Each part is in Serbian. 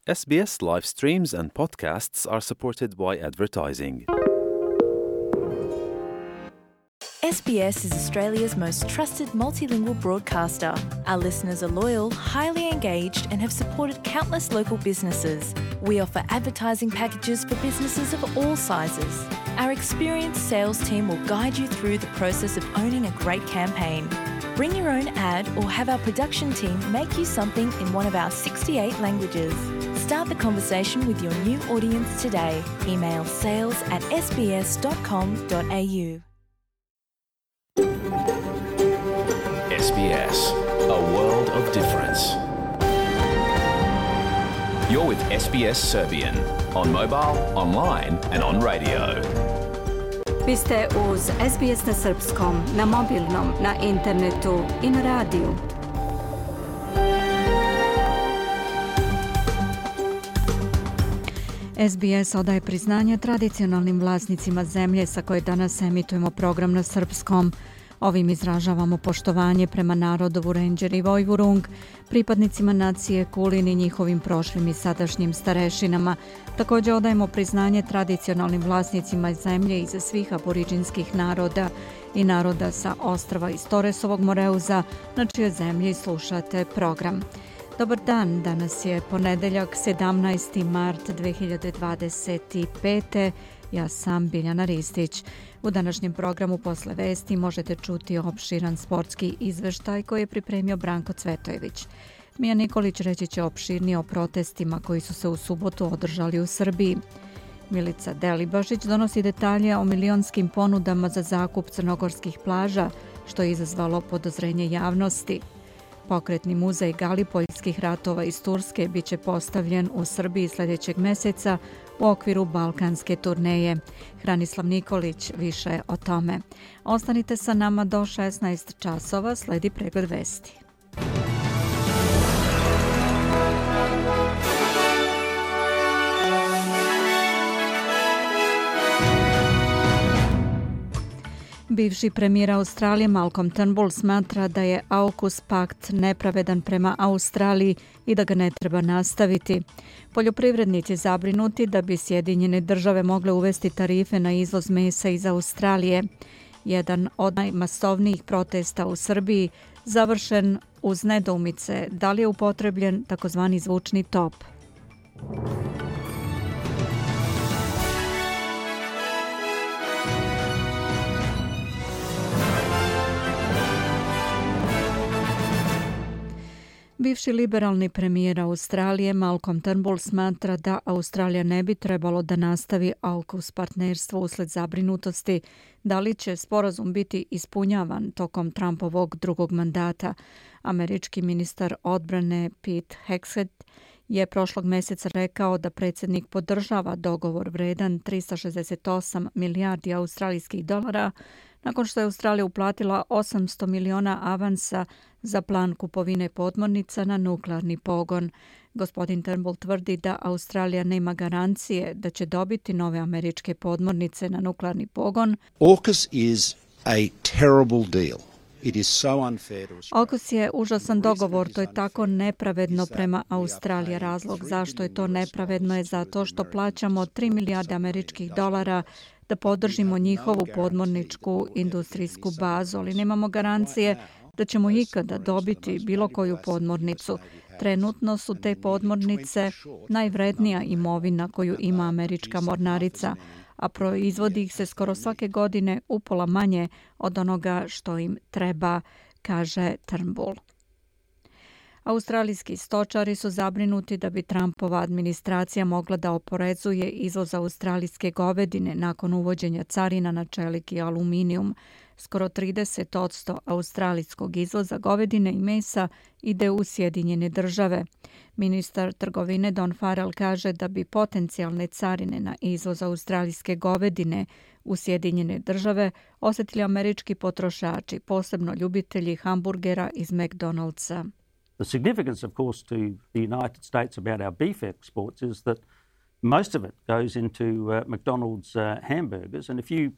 SBS live streams and podcasts are supported by advertising. SBS is Australia's most trusted multilingual broadcaster. Our listeners are loyal, highly engaged, and have supported countless local businesses. We offer advertising packages for businesses of all sizes. Our experienced sales team will guide you through the process of owning a great campaign. Bring your own ad or have our production team make you something in one of our 68 languages. Start the conversation with your new audience today. Email sales@sbs.com.au. SBS, a world of difference. You're with SBS Serbian on mobile, online and on radio. Vi ste uz SBS na srpskom, na mobilnom, na internetu i na radiju. SBS odaje priznanje tradicionalnim vlasnicima zemlje sa koje danas emitujemo program na srpskom. Ovim izražavamo poštovanje prema narodu Vurenđer i Vojvurung, pripadnicima nacije Kulin i njihovim prošlim i sadašnjim starešinama. Također odajemo priznanje tradicionalnim vlasnicima zemlje iz svih aboriđinskih naroda i naroda sa ostrva iz Toresovog Moreuza, na čijoj zemlji slušate program. Dobar dan, danas je ponedeljak 17. mart 2025. Ja sam Biljana Ristić. U današnjem programu posle vesti možete čuti opširan sportski izveštaj koji je pripremio Branko Cvetojević. Mija Nikolić reći će opširnije o protestima koji su se u subotu održali u Srbiji. Milica Delibašić donosi detalje o milionskim ponudama za zakup crnogorskih plaža, što je izazvalo podozrenje javnosti. Pokretni muzej Galipoljskih ratova iz Turske bit će postavljen u Srbiji sljedećeg mjeseca u okviru balkanske turneje. Hranislav Nikolić više o tome. Ostanite sa nama do 16 časova, sledi pregled vesti. Bivši premijer Australije Malcolm Turnbull smatra da je AUKUS pakt nepravedan prema Australiji i da ga ne treba nastaviti. Poljoprivrednici zabrinuti da bi Sjedinjene države mogle uvesti tarife na izvoz mesa iz Australije. Jedan od najmasovnijih protesta u Srbiji završen uz nedoumice da li je upotrebljen takozvani zvučni top. Bivši liberalni premijer Australije Malcolm Turnbull smatra da Australija ne bi trebalo da nastavi AUKUS partnerstvo usled zabrinutosti da li će sporazum biti ispunjavan tokom Trumpovog drugog mandata. Američki ministar odbrane Pete Hegseth je prošlog mjeseca rekao da predsjednik podržava dogovor vredan 368 milijardi australijskih dolara nakon što je Australija uplatila 800 miliona avansa za plan kupovine podmornica na nuklearni pogon. Gospodin Turnbull tvrdi da Australija nema garancije da će dobiti nove američke podmornice na nuklearni pogon. AUKUS is a terrible deal. AUKUS je užasan dogovor, to je tako nepravedno prema Australiji. Razlog zašto je to nepravedno je zato što plaćamo 3 milijarde američkih dolara da podržimo njihovu podmorničku industrijsku bazu, ali nemamo garancije da ćemo ikada dobiti bilo koju podmornicu. Trenutno su te podmornice najvrednija imovina koju ima američka mornarica, a proizvodi ih se skoro svake godine upola manje od onoga što im treba, kaže Turnbull. Australijski stočari su zabrinuti da bi Trumpova administracija mogla da oporezuje izvoz australijske govedine nakon uvođenja carina na čelik i aluminijum. Skoro 30% australijskog izvoza govedine i mesa ide u Sjedinjene države. Ministar trgovine Don Farrell kaže da bi potencijalne carine na izvoz australijske govedine u Sjedinjene države osjetili američki potrošači, posebno ljubitelji hamburgera iz McDonald'sa. The significance, of course, to the United States about our beef exports is that most of it goes into McDonald's hamburgers, and if you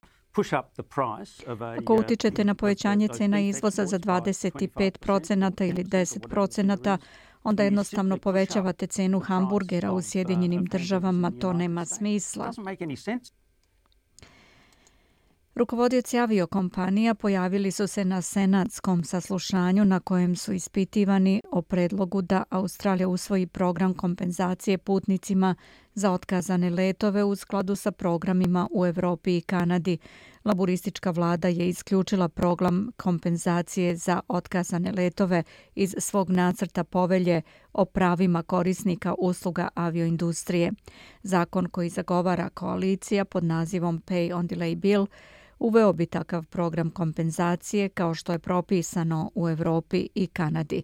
Ako utičete na povećanje cena izvoza za 25% ili 10%, onda jednostavno povećavate cenu hamburgera u Sjedinjenim državama, to nema smisla. Rukovodioci aviokompanija pojavili su se na senatskom saslušanju na kojem su ispitivani o predlogu da Australija usvoji program kompenzacije putnicima za otkazane letove u skladu sa programima u Evropi i Kanadi. Laburistička vlada je isključila program kompenzacije za otkazane letove iz svog nacrta povelje o pravima korisnika usluga avioindustrije. Zakon koji zagovara koalicija pod nazivom Pay on Delay Bill uveo bi takav program kompenzacije kao što je propisano u Evropi i Kanadi.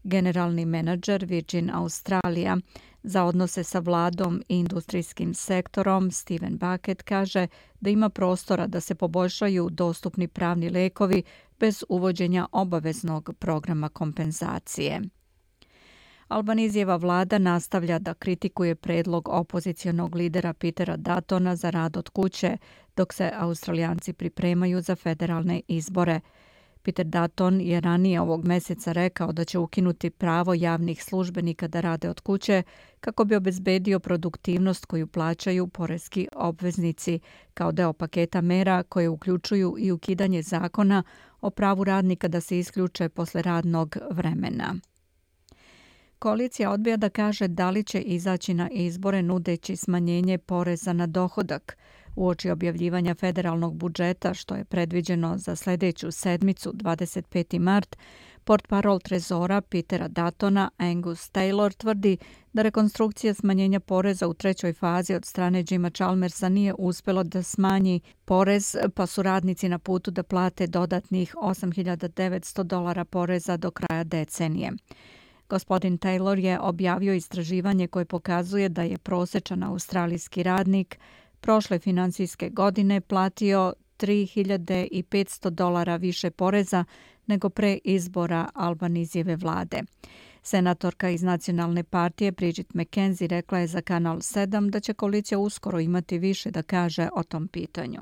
Generalni menadžer Virgin Australia za odnose sa vladom i industrijskim sektorom Steven Bucket kaže da ima prostora da se poboljšaju dostupni pravni lekovi bez uvođenja obaveznog programa kompenzacije. Albanizijeva vlada nastavlja da kritikuje predlog opozicionog lidera Petera Duttona za rad od kuće, dok se Australijanci pripremaju za federalne izbore. Peter Dutton je ranije ovog meseca rekao da će ukinuti pravo javnih službenika da rade od kuće kako bi obezbedio produktivnost koju plaćaju poreski obveznici kao deo paketa mera koje uključuju i ukidanje zakona o pravu radnika da se isključe posle radnog vremena. Koalicija odbija da kaže da li će izaći na izbore nudeći smanjenje poreza na dohodak. Uoči objavljivanja federalnog budžeta, što je predviđeno za sljedeću sedmicu, 25. mart, portparol trezora Petera Duttona Angus Taylor tvrdi da rekonstrukcija smanjenja poreza u trećoj fazi od strane Jima Chalmersa nije uspjelo da smanji porez, pa su radnici na putu da plate dodatnih $8.900 poreza do kraja decenije. Gospodin Taylor je objavio istraživanje koje pokazuje da je prosječan australijski radnik prošle finansijske godine platio $3.500 više poreza nego pre izbora Albanizijeve vlade. Senatorka iz Nacionalne partije Bridget McKenzie rekla je za Kanal 7 da će koalicija uskoro imati više da kaže o tom pitanju.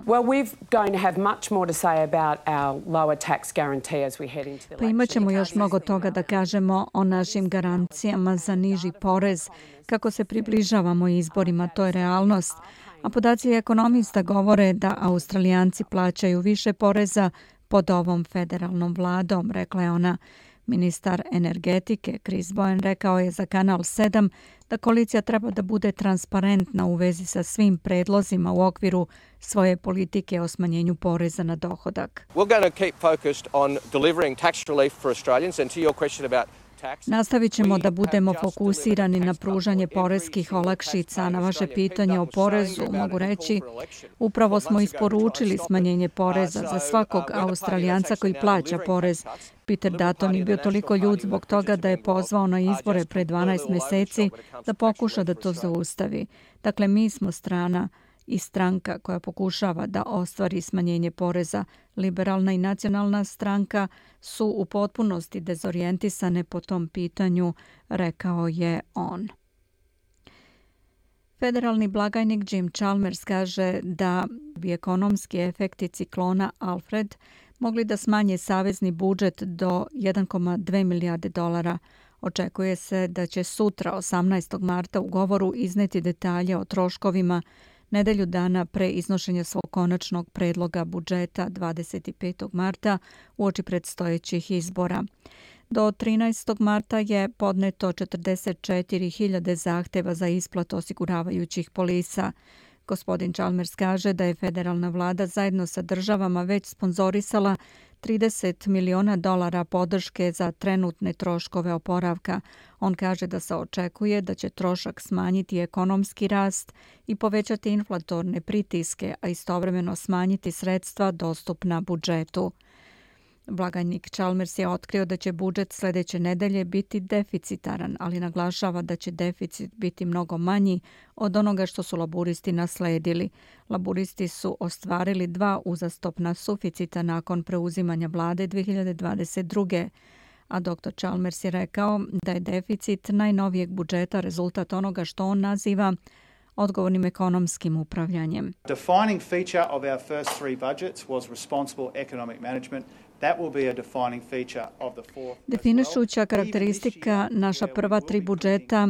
Pa imaćemo još mnogo toga da kažemo o našim garancijama za niži porez. Kako se približavamo izborima, to je realnost. A podaci ekonomista govore da Australijanci plaćaju više poreza pod ovom federalnom vladom, rekla je ona. Ministar energetike Chris Bowen rekao je za Kanal 7 da koalicija treba da bude transparentna u vezi sa svim predlozima u okviru svoje politike o smanjenju poreza na dohodak. Nastavit ćemo da budemo fokusirani na pružanje poreskih olakšica. Na vaše pitanje o porezu mogu reći, upravo smo isporučili smanjenje poreza za svakog Australijanca koji plaća porez. Peter Dutton je bio toliko ljud zbog toga da je pozvao na izbore pre 12 meseci da pokuša da to zaustavi. Dakle, mi smo strana i stranka koja pokušava da ostvari smanjenje poreza. Liberalna i nacionalna stranka su u potpunosti dezorijentisane po tom pitanju, rekao je on. Federalni blagajnik Jim Chalmers kaže da bi ekonomski efekti ciklona Alfred mogli da smanje savezni budžet do $1,2 milijarde. Očekuje se da će sutra, 18. marta, u govoru izneti detalje o troškovima nedelju dana pre iznošenja svog konačnog predloga budžeta 25. marta uoči predstojećih izbora. Do 13. marta je podneto 44.000 zahteva za isplatu osiguravajućih polisa. Gospodin Chalmers kaže da je federalna vlada zajedno sa državama već sponzorisala $30 miliona podrške za trenutne troškove oporavka. On kaže da se očekuje da će trošak smanjiti ekonomski rast i povećati inflatorne pritiske, a istovremeno smanjiti sredstva dostupna budžetu. Blagajnik Chalmers je otkrio da će budžet sljedeće nedelje biti deficitaran, ali naglašava da će deficit biti mnogo manji od onoga što su laburisti nasledili. Laburisti su ostvarili 2 uzastopna suficita nakon preuzimanja vlade 2022. A dr. Chalmers je rekao da je deficit najnovijeg budžeta rezultat onoga što on naziva odgovornim ekonomskim upravljanjem. Defining feature of our first 3 budgets was responsible economic management Definišuća karakteristika naša prva 3 budžeta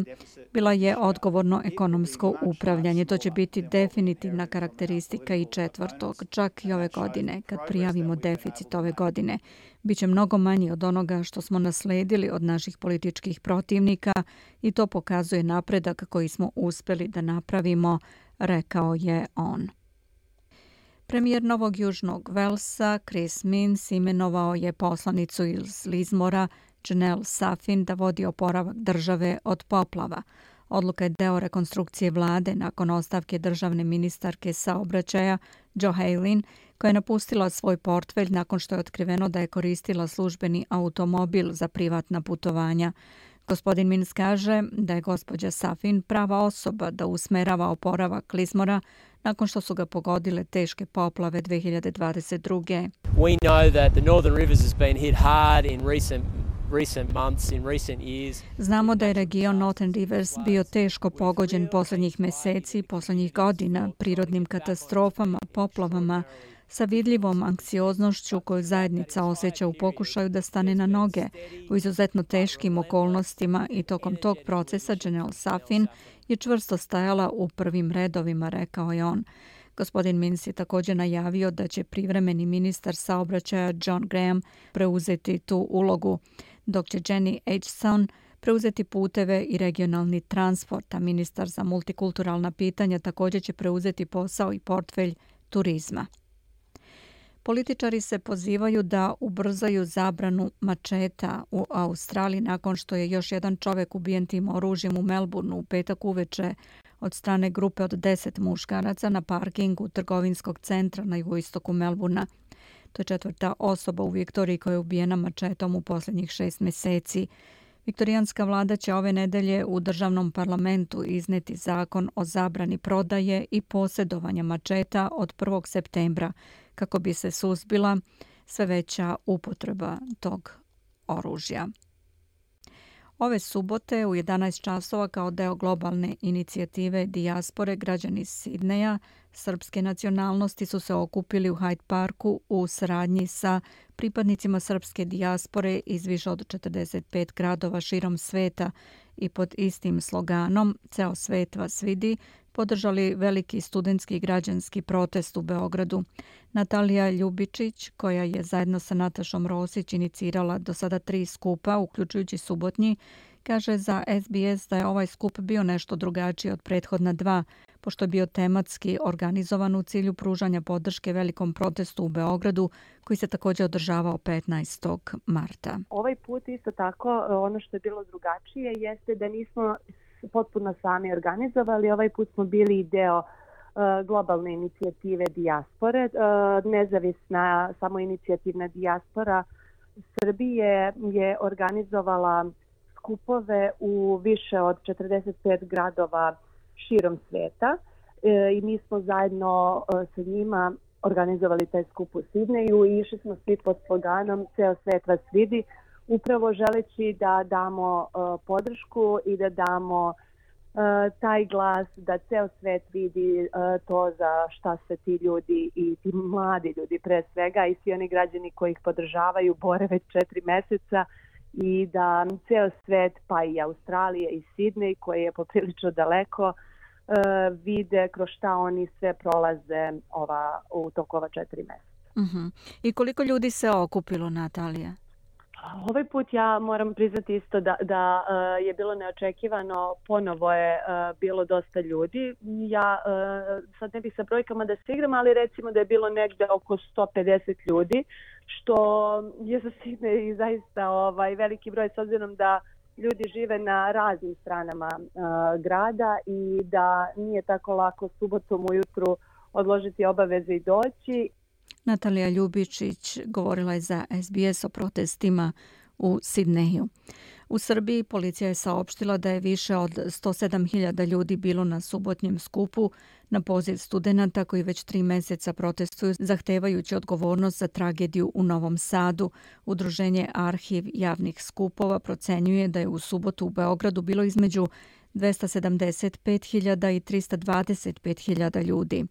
bila je odgovorno ekonomsko upravljanje. To će biti definitivna karakteristika i 4. čak i ove godine, kad prijavimo deficit ove godine. Biće mnogo manji od onoga što smo nasledili od naših političkih protivnika i to pokazuje napredak koji smo uspjeli da napravimo, rekao je on. Premijer Novog Južnog Velsa, Chris Minns, imenovao je poslanicu iz Lismora, Janelle Safin, da vodi oporavak države od poplava. Odluka je deo rekonstrukcije vlade nakon ostavke državne ministarke saobraćaja Jo Haley, koja je napustila svoj portfelj nakon što je otkriveno da je koristila službeni automobil za privatna putovanja. Gospodin Minns kaže da je gospođa Safin prava osoba da usmerava oporavak Lismora nakon što su ga pogodile teške poplave 2022. We know that the Northern Rivers has been hit hard in recent months, in recent years. Znamo da je region Northern Rivers bio teško pogođen posljednjih meseci, posljednjih godina, prirodnim katastrofama, poplavama, sa vidljivom anksioznošću koju zajednica osjeća u pokušaju da stane na noge u izuzetno teškim okolnostima i tokom tog procesa Janelle Safin je čvrsto stajala u prvim redovima, rekao je on. Gospodin Minns je također najavio da će privremeni ministar saobraćaja John Graham preuzeti tu ulogu, dok će Jenny Aitchison preuzeti puteve i regionalni transport, a ministar za multikulturalna pitanja također će preuzeti posao i portfelj turizma. Političari se pozivaju da ubrzaju zabranu mačeta u Australiji nakon što je još jedan čovjek ubijen tim oružjem u Melbourneu u petak uveče od strane grupe od 10 muškaraca na parkingu trgovinskog centra na jugoistoku Melbournea. To je 4. osoba u Viktoriji koja je ubijena mačetom u posljednjih 6 mjeseci. Viktorijanska vlada će ove nedelje u državnom parlamentu izneti zakon o zabrani prodaje i posjedovanja mačeta od 1. septembra kako bi se suzbila sve veća upotreba tog oružja. Ove subote u 11 časova kao deo globalne inicijative dijaspore građani Sidneja srpske nacionalnosti su se okupili u Hyde Parku u saradnji sa pripadnicima srpske dijaspore iz više od 45 gradova širom sveta i pod istim sloganom "Ceo svet vas vidi" podržali veliki studentski i građanski protest u Beogradu. Natalija Ljubičić, koja je zajedno sa Natašom Rosić inicirala do sada 3 skupa, uključujući subotnji, kaže za SBS da je ovaj skup bio nešto drugačiji od prethodna 2, pošto je bio tematski organizovan u cilju pružanja podrške velikom protestu u Beogradu, koji se također održavao 15. marta. Ovaj put isto tako, ono što je bilo drugačije jeste da nismo potpuno sami organizovali. Ovaj put smo bili deo globalne inicijative dijaspore. Nezavisna samoinicijativna dijaspora Srbije je organizovala skupove u više od 45 gradova širom sveta i mi smo zajedno sa njima organizovali taj skup u Sidneju i išli smo svi pod sloganom "Ceo svet vas vidi", upravo želeći da damo podršku i da damo taj glas da ceo svet vidi to za šta se ti ljudi i ti mladi ljudi pre svega i svi oni građani koji ih podržavaju bore već 4 meseca i da ceo svet pa i Australija i Sidnej koji je poprilično daleko vide kroz šta oni sve prolaze u toku ova 4 meseca. I koliko ljudi se okupilo, Natalija? Ovaj put ja moram priznati isto da je bilo neočekivano, ponovo je bilo dosta ljudi. Ja sad ne bih sa brojkama da se igram, ali recimo da je bilo negde oko 150 ljudi, što je za Sidnej i zaista veliki broj s obzirom da ljudi žive na raznim stranama grada i da nije tako lako subotom ujutru odložiti obaveze i doći. Natalija Ljubičić govorila je za SBS o protestima u Sidneju. U Srbiji policija je saopštila da je više od 107.000 ljudi bilo na subotnjem skupu na poziv studenata koji već 3 mjeseca protestuju zahtevajući odgovornost za tragediju u Novom Sadu. Udruženje Arhiv javnih skupova procenjuje da je u subotu u Beogradu bilo između 275.000 i 325.000 ljudi.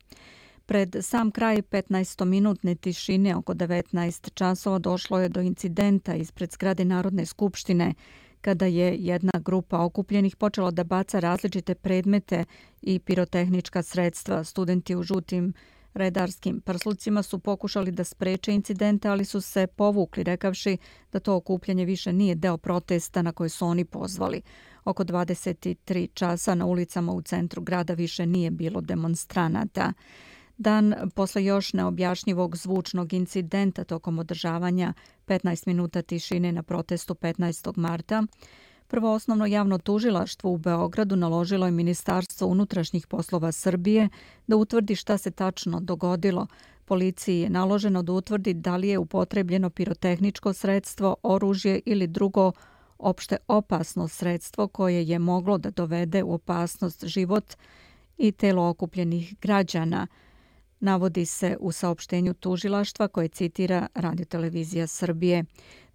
Pred sam kraj 15-minutne tišine oko 19 časova došlo je do incidenta ispred zgrade Narodne skupštine kada je jedna grupa okupljenih počela da baca različite predmete i pirotehnička sredstva. Studenti u žutim redarskim prslucima su pokušali da spreče incidente, ali su se povukli rekavši da to okupljanje više nije deo protesta na koje su oni pozvali. Oko 23 časa na ulicama u centru grada više nije bilo demonstranata. Dan posle još neobjašnjivog zvučnog incidenta tokom održavanja 15 minuta tišine na protestu 15. marta, Prvo osnovno javno tužilaštvo u Beogradu naložilo je Ministarstvo unutrašnjih poslova Srbije da utvrdi šta se tačno dogodilo. Policiji je naloženo da utvrdi da li je upotrebljeno pirotehničko sredstvo, oružje ili drugo opšte opasno sredstvo koje je moglo da dovede u opasnost život i telo okupljenih građana. Navodi se u saopštenju tužilaštva koje citira Radiotelevizija Srbije.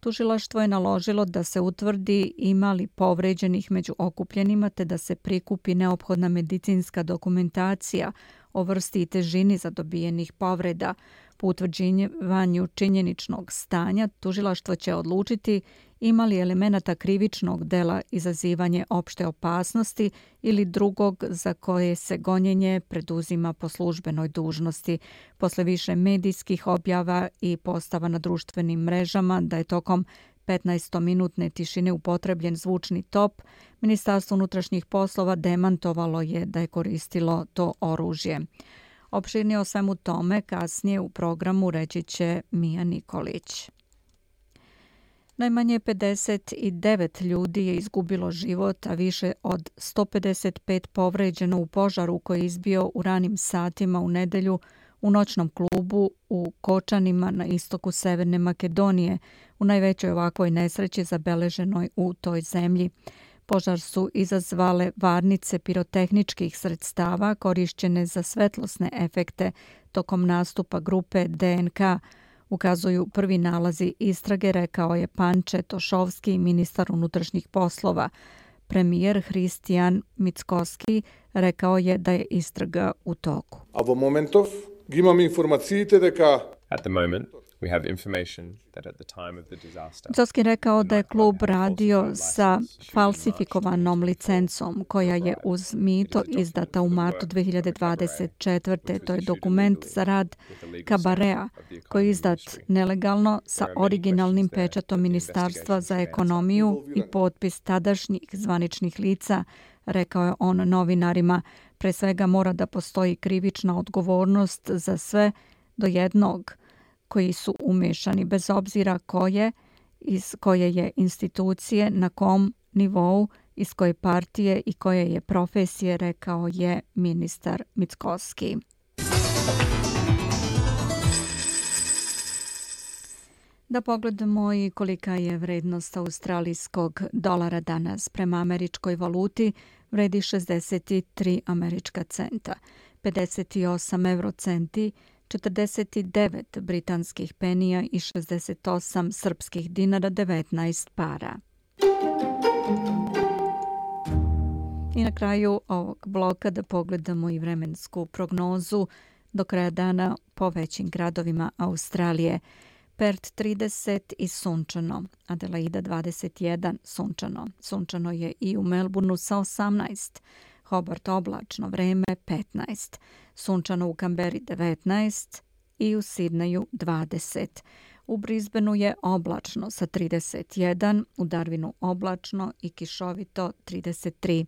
Tužilaštvo je naložilo da se utvrdi ima li povređenih među okupljenima te da se prikupi neophodna medicinska dokumentacija o vrsti i težini zadobijenih povreda. Po utvrđivanju činjeničnog stanja tužilaštvo će odlučiti ima li elemenata krivičnog dela izazivanje opšte opasnosti ili drugog za koje se gonjenje preduzima po službenoj dužnosti. Posle više medijskih objava i postava na društvenim mrežama da je tokom 15-minutne tišine upotrebljen zvučni top, Ministarstvo unutrašnjih poslova demantovalo je da je koristilo to oružje. Opširnije o svemu tome kasnije u programu reći će Mija Nikolić. Najmanje 59 ljudi je izgubilo život, a više od 155 povređeno u požaru koji je izbio u ranim satima u nedelju u noćnom klubu u Kočanima na istoku Severne Makedonije, u najvećoj ovakvoj nesreći zabeleženoj u toj zemlji. Požar su izazvale varnice pirotehničkih sredstava korišćene za svetlosne efekte tokom nastupa grupe DNK, ukazuju prvi nalazi istrage, rekao je Panče Tošovski, ministar unutrašnjih poslova. Premijer Hristijan Mickoski rekao je da je istraga u toku. A v momentov imam informacije дека At the moment we have information that at the time of the disaster. Mickoski rekao da je klub radio sa falsifikovanom licencom koja je uz mito izdata u martu 2024. To je dokument za rad Kabarea koji je izdat nelegalno sa originalnim pečatom Ministarstva za ekonomiju i potpis tadašnjih zvaničnih lica, rekao je on novinarima. Pre svega mora da postoji krivična odgovornost za sve do jednog koji su umešani, bez obzira koje, iz koje je institucije, na kom nivou, iz koje partije i koje je profesije, rekao je ministar Mickoski. Da pogledamo i kolika je vrednost australijskog dolara danas. Prema američkoj valuti vredi 63 američka centa, 58 eurocenti, 49 britanskih penija i 68 srpskih dinara 19 para. I na kraju ovog bloka da pogledamo i vremensku prognozu do kraja dana po većim gradovima Australije. Perth 30 i sunčano, Adelaida 21 sunčano. Sunčano je i u Melbourneu sa 18, Hobart oblačno vreme 15, sunčano u Kamberi 19 i u Sidneju 20. U Brisbaneu je oblačno sa 31, u Darwinu oblačno i kišovito 33.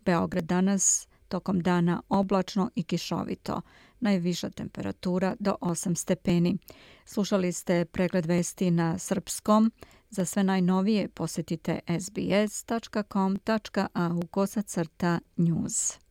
Beograd danas tokom dana oblačno i kišovito. Najviša temperatura do 8 stepeni. Slušali ste pregled vesti na srpskom. Za sve najnovije posjetite sbs.com.au/news.